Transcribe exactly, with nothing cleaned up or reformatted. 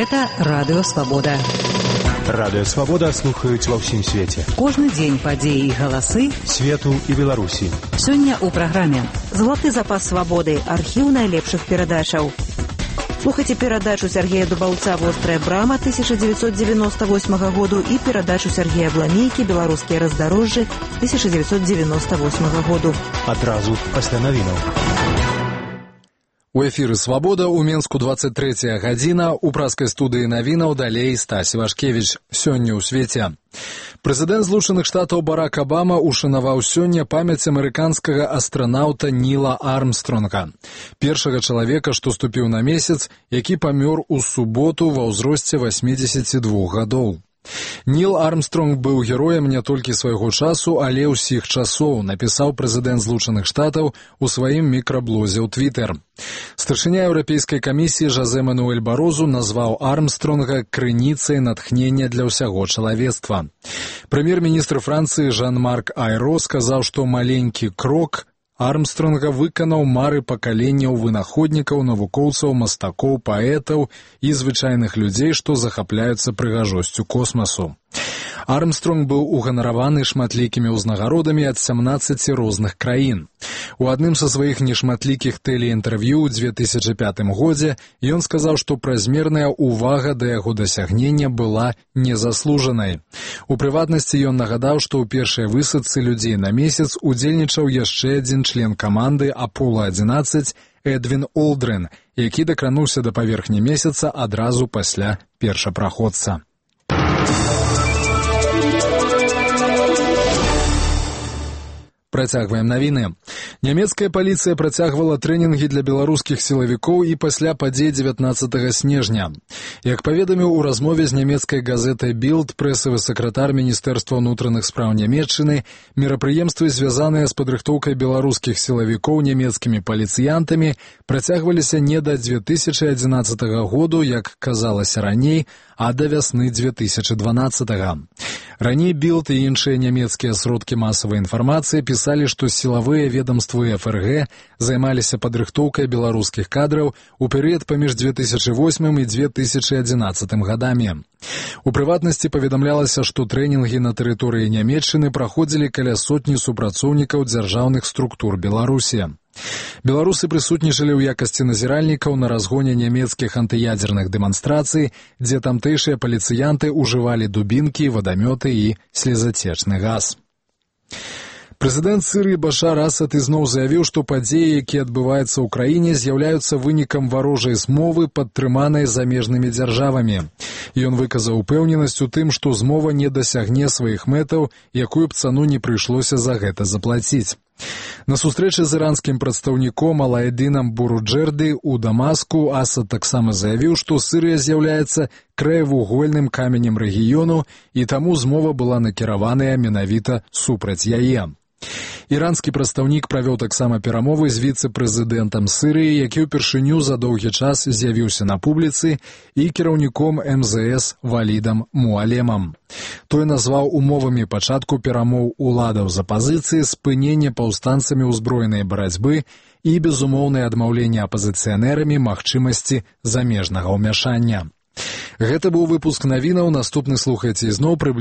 Гэта Радыё Свабода. Радыё Свабода слухаюць ва ўсім свеце. Кожны дзень падзеі і галасы свету і Беларусі. Сёння ў праграме «Золоты запас свабоды. Архіў найлепшых перадачаў». Слухайце перадачу Сергея Дубаўца «Вострая брама» тысяча девятьсот девяносто восьмого году і перадачу Сергея Бламейкі «Беларускія раздарожжы» тысяча девятьсот девяносто восьмого году. Адразу пасля навінаў. У эфіры «Свабода» у Менску двадцать третья гадзіна, у праскай студыі навінаў далей Стась Вашкевіч. Сёння ў свеце. Прэзідэнт Злучаных Штатаў Барак Абама ушанаваў сёння памяць амерыканскага астранаўта Ніла Армстронга, першага чалавека, што ступіў на месяц, які памёр у суботу ва ўзросце восьмидесяти двух гадоў. Ніл Армстронг быў героем не толькі свайго часу, але ўсіх часоў, напісаў прэзідэнт Злучаных Штатаў у сваім мікраблозе ў Твітэр. Старшыня Еўрапейскай камісіі Жозе Мануэль Барозу назваў Армстронга крыніцай натхнення для ўсяго чалавецтва. Прэм'ер-міністр Францыі Жан-Марк Айро сказаў, што маленькі крок Армстронга выканаў мары пакаленняў вынаходнікаў, навукоўцаў, мастакоў, паэтаў і звычайных людзей, што захапляюцца прыгажосцю космасу. Армстронг быў уганараваны шматлікімі ўзнагародамі ад сямнаццаці розных краін. У адным са сваіх нешматлікіх тэлеінтэрв'ю ў две тысячы пятым годзе ён сказаў, што празмерная ўвага да яго дасягнення была незаслужанай. У прыватнасці ён нагадаў, што ў першай высадцы людзей на месяц удзельнічаў яшчэ адзін член каманды Апола адзінаццаць Эдвін Олдрын, які дакрануўся да паверхні месяца адразу пасля першапраходца. Працягваем навіны. Нямецкая паліцыя працягвала трэнінгі для беларускіх сілавікоў і пасля падзей дзевятнаццатага снежня. Як паведаміў у размове з нямецкай газетай «Білд» прэсавы сакратар Міністэрства ўнутраных спраў Нямецчыны, мерапрыемствы, звязаныя з падрыхтоўкай беларускіх сілавікоў нямецкімі паліцыянтамі, працягваліся не да две тысячы адзінаццатага году, як казалася раней, а да вясны две тысячы дванаццатага. Раней «Білд» і іншыя нямецкія сродкі масавай інфармацыі пісалі, што сілавыя ведамствы эф эр гэ займаліся падрыхтоўкай беларускіх кадраў у перыяд паміж две тысячы восьмым і две тысячы адзінаццатым гадамі. У прыватнасці паведамлялася, што трэнінгі на тэрыторыі Нямецчыны праходзілі каля сотні супрацоўнікаў дзяржаўных структур Беларусі. Беларусы прысутнічалі ў якасці назіральнікаў на разгоне нямецкіх антыядзерных дэманстрацый, дзе тамтэйшыя паліцыянты ўжывалі дубінкі, вадамёты і слезацечны газ. Прэзідэнт Сірыі Башар Асад ізноў заявіў, што падзеі, якія адбываюцца ў краіне, з'яўляюцца вынікам варожай змовы, падтрыманай замежнымі дзяржавамі. Ён выказаў упэўненасць у тым, што змова не дасягне сваіх мэтаў, якую б цану не прыйшлося за гэта заплаціць. На сустрэчы з іранскім прадстаўніком Алаэдынам Буруджэрды ў Дамаску Асад таксама заявіў, што Сірыя з'яўляецца краевугольным каменем рэгіёну, і таму змова была накіраваная менавіта супраць яе. Іранскі прадстаўнік правёў таксама перамовы з віцэ-прэзідэнтам Сірыі, які ўпершыню за доўгі час з'явіўся на публіцы, і кіраўніком эм зэ эс Валідам Муалемам. Той назваў умовамі пачатку перамоў уладаў з апазіцыі спыненне паўстанцамі ўзброенай барацьбы і безумоўнае адмаўленне апазіцыянэрамі магчымасці замежнага ўмяшання. Гэта быў выпуск навінаў, наступны слухайце ізноў прыблізна